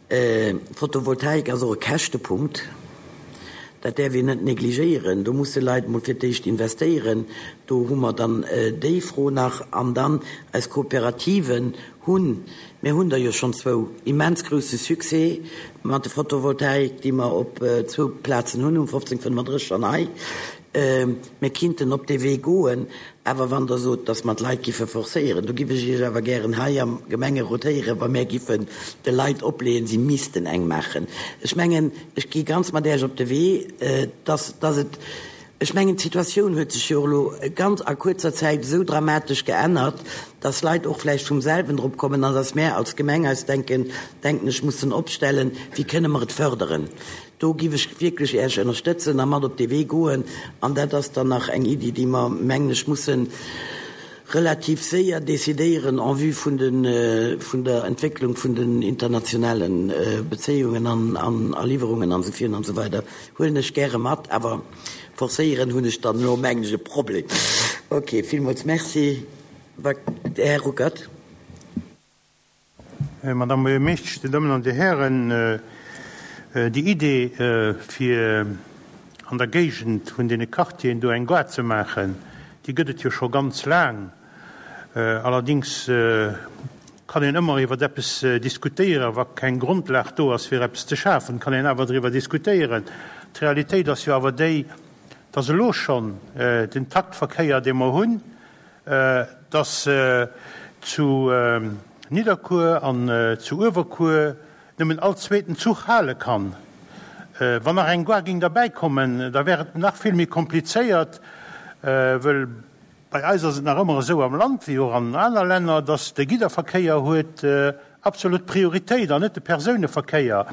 äh, Photovoltaik ass och e Käschtepunkt. Dat därf wir net negligéieren. Do musse Leit mol fir d'éischt investéieren. Do hu mer dann, äh, déi Fro nach an dann als Kooperativen hunn. Mir hunn da jo schon zwou immens grouse Succès mat der Photovoltaik, déi mer op, äh, zwou Plazen hunn, um fofzéng fënnefundrësseg an hei. Ähm, mir kinnten op de Wee goen, awer wann der sot, dass man d'Leit giffe forcéieren. Do giff ech iech awer gären hei am Gemenge rotéieren, wa mir giffen de Leit opleeën, sie missten eng machen. Ech mengen, ech gi ganz mat Iech op de Wee, äh, dass, dass et, ech mengen, d'Situatioun huet sech jo lo ganz a kurzer Zäit so dramatisch geännert, dass Leit och vläicht vum selwen drop kommen, an dass mehr als Gemeng eis denken, denken, ech muss den opstellen, wie kënne mer et fördern. Do giff ech wirklich erst unterstützen, a mat op de Wee goen, an dat ass dann nach eng Idee, déi mer mengen, mussen relativ séier decidéieren en vue vun den, äh, vun der Entwicklung vun den internationalen, äh, Beziehungen an, an a Lieferungen an so vielen an so weiter. Huelen ech gäre mat, awer forcéieren hunn ech dann no mengen e Problem. Okay, villmools merci. Wa-, Herr Ruckert. Äh, Madame Buergermeeschtesch, die Damen und die Herren, äh, äh, die Idee, äh, fir an der Gegend vun den Quartieren do eng Gare ze machen, die gëtt et jo scho ganz lang. Äh, allerdings, äh, kann een ëmmer iwwer eppes, äh, diskutéieren, wa keng Grundlag do ass fir eppes ze schafen, kann een awer driwwer diskutéieren. D'Realitéit ass jo awer déi, dass elo schon, äh, den Taktverkéier, dee mer hunn, äh, dass, äh, zu, äh, Nidderkuer an, äh, zu Uewerkuer nëmmen all zweeten Zuch hale kann. Äh, wann nach eng Gare ging dabei kommen, da wär et nach vill méi komplizéiert, äh, well Bei eis ass et nach ëmmer esou am Land, wéi och an aner Länner, dass de Gidderverkéier huet absolut Prioritéit an net de Persouneverkéier,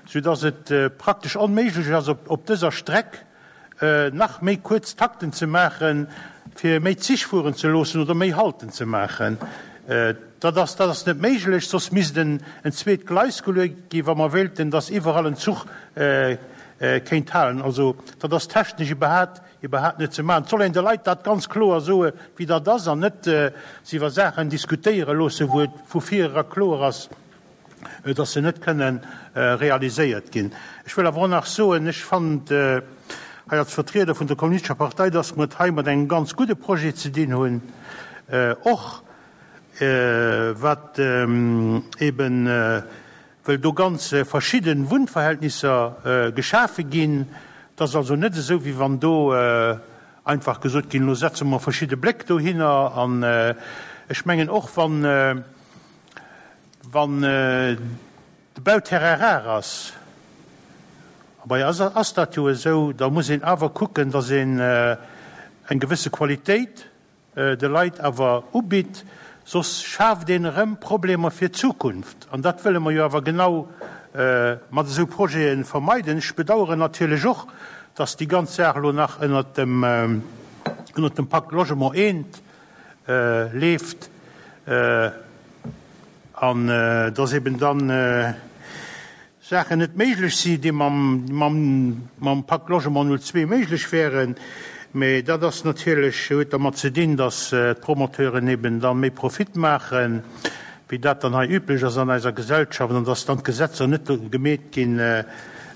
soudass et praktesch onméiglech ass, op dëser Streck nach méi kuerz Takten ze maachen, fir méi Zich fueren ze loossen oder méi Halten ze maachen. Dat ass, dat ass net méiglech, soss misst en zweet Gleis geluecht ginn, wa mer wéilten, dass iwwerall en Zuch kéint halen. Also dat ass technesch iwwerhaat, iwwerhaat net ze maachen. Et soll een de Leit dat ganz kloer soe wéi dat ass an net se iwwer Saachen diskutéiere loosse wou et vu vir era kloer ass, dass se net kënnen realiséiert ginn. Ech wëll awer och nach soen, ech fannen hei als Vertrieder vun der Kommunistescher Partei, dass mer et hei mat engem ganz gudde Projet ze dinn hunn, och wat eben, well do ganz verschidde Wunnverhältnisser geschafe ginn. Et ass also net esou, wéi wann do einfach gesot ginn, elo setze mer verschidde Bléck dohinner. An ech mengen och, wann, wann de Bauterrain rar ass, a bei eis ass dat jo esou, da muss een awer kucken, datt een eng gewësse Qualitéit de Leit awer ubitt, soss schaaft een erëm Problemer fir d'Zukunft. An dat wëlle mer jo awer genau mat esou Projete vermeiden. Ech bedauern natierlech och, dass déi ganz Saach elo nach ënnert dem, ënnert dem Pacte Logement I leeft an dass eben dann Saachen net méiglech si, déi mam, mam, mam Pacte Logement null zwee méiglech wären. Mee dat ass natierlech, huet dermat ze dinn, datt d'Promoteuren eben da méi Profit maachen, wéi dat dann hei üblech ass an eiser Gesellschaft, an datt dann d'Gesetzer net gemeet ginn,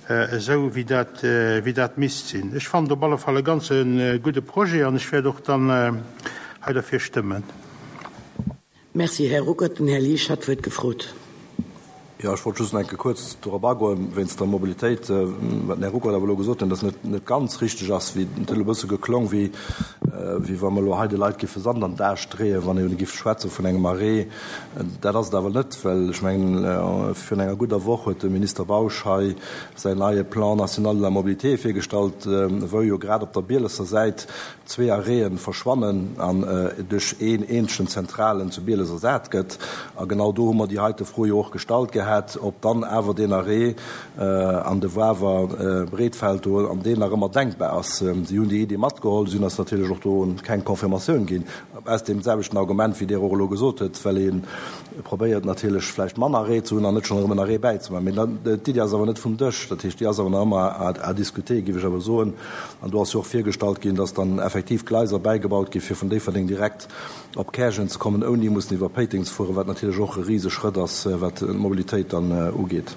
esou wéi dat, wéi dat misst sinn. Ech fannen et op alle Fall e ganze gudde Projet an ech wäert och dann hei derfir stëmmen. Merci, Här Ruckert. Den Här Liesch hat d'Wuert gefrot. Jo, ech wollt just nach eng Kéier kuerz dorop agoen, wéinst der Mobilitéit, wat den Här Ruckert awer elo gesot huet, dass net net ganz richteg ass, wéi et huet elo e bësse geklong, wéi wéi wa mer elo hei de Leit géife Sand an d'Ae streeën, wann ee géif schwätze vun engem Arrêt. Dat ass et awer net, well ech mengen, virun enger gudder Woch huet de Minister Bausch hei säin neie Plan national de la mobilité virgestallt, wou jo grad op der Bielesser Säit zwee Arrêten verschwannen an duerch een eenzegen zentralen zu Bieles ersat gëtt. A genau do hu mer déi heite Fro jo och gestallt gehat, ob dann awer deen Arrêt an de Wawer Breetfeld do an deen nach ëmmer denkbar ass. Si hunn déi Iddi matgeholl, si hunn eis natierlech och do keng Confirmatioun ginn, aus deem selwechten Argument, wéi Dir och elo gesot hutt, well ee probéiert natierlech vläicht manner Arrêt ze hunn an net schonn erëm en Arrêt bäizemaachen. Mee d'Iddi ass awer net vum Dësch, dat heescht, déi ass awer nach ëmmer à discuter, géif ech awer soen. An do ass jo och virgestallt ginn, dass dann effektiv Gleiser bäigebaut gi fir vun Déifferdeng direkt op Käerjeng ze kommen, ouni mussen iwwer Péiteng ze fueren, wat natierlech och e Riseschrëtt ass, wat d'Mobilitéit dann ugeet.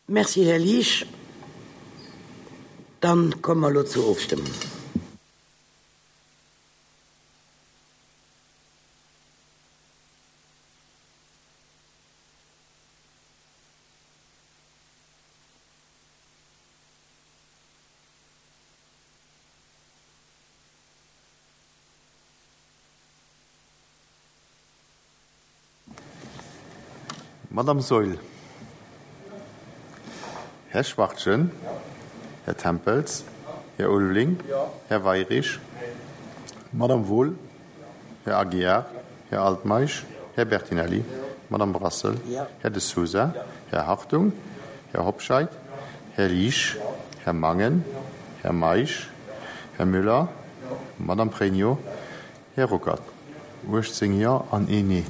Merci, Här Liesch. Dann komme mer elo zur Ofstëmmung. Madame Saeul. Här Schwachtgen. Här Tempels. Här Ulveling. Här Weirich. Madame Wohl. Här Aguiar. Här Altmeisch. Här Bertinelli. Madame Brassel. Här De Sousa. Här Hartung. Här Hobscheit. Här Liesch. Här Mangen. Här Meisch. Här Müller. Madame Pregno. Här Ruckert. uechtzéng Jo an een Nee.